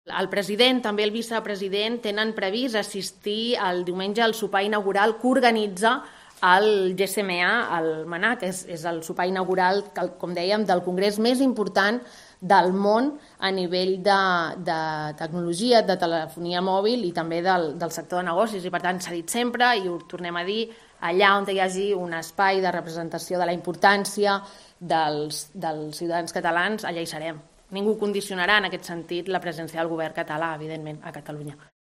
El president, també el vicepresident, tenen previst assistir el diumenge al sopar inaugural que organitza el GSMA al Manà, que és el sopar inaugural, com dèiem, del congrés més important del món a nivell de tecnologia, de telefonia mòbil i també del sector de negocis. I per tant s'ha dit sempre, i ho tornem a dir, allà on hi hagi un espai de representació de la importància dels ciutadans catalans, allà hi serem. Ningú condicionarà en aquest sentit la presència del govern català, evidentment, a Catalunya.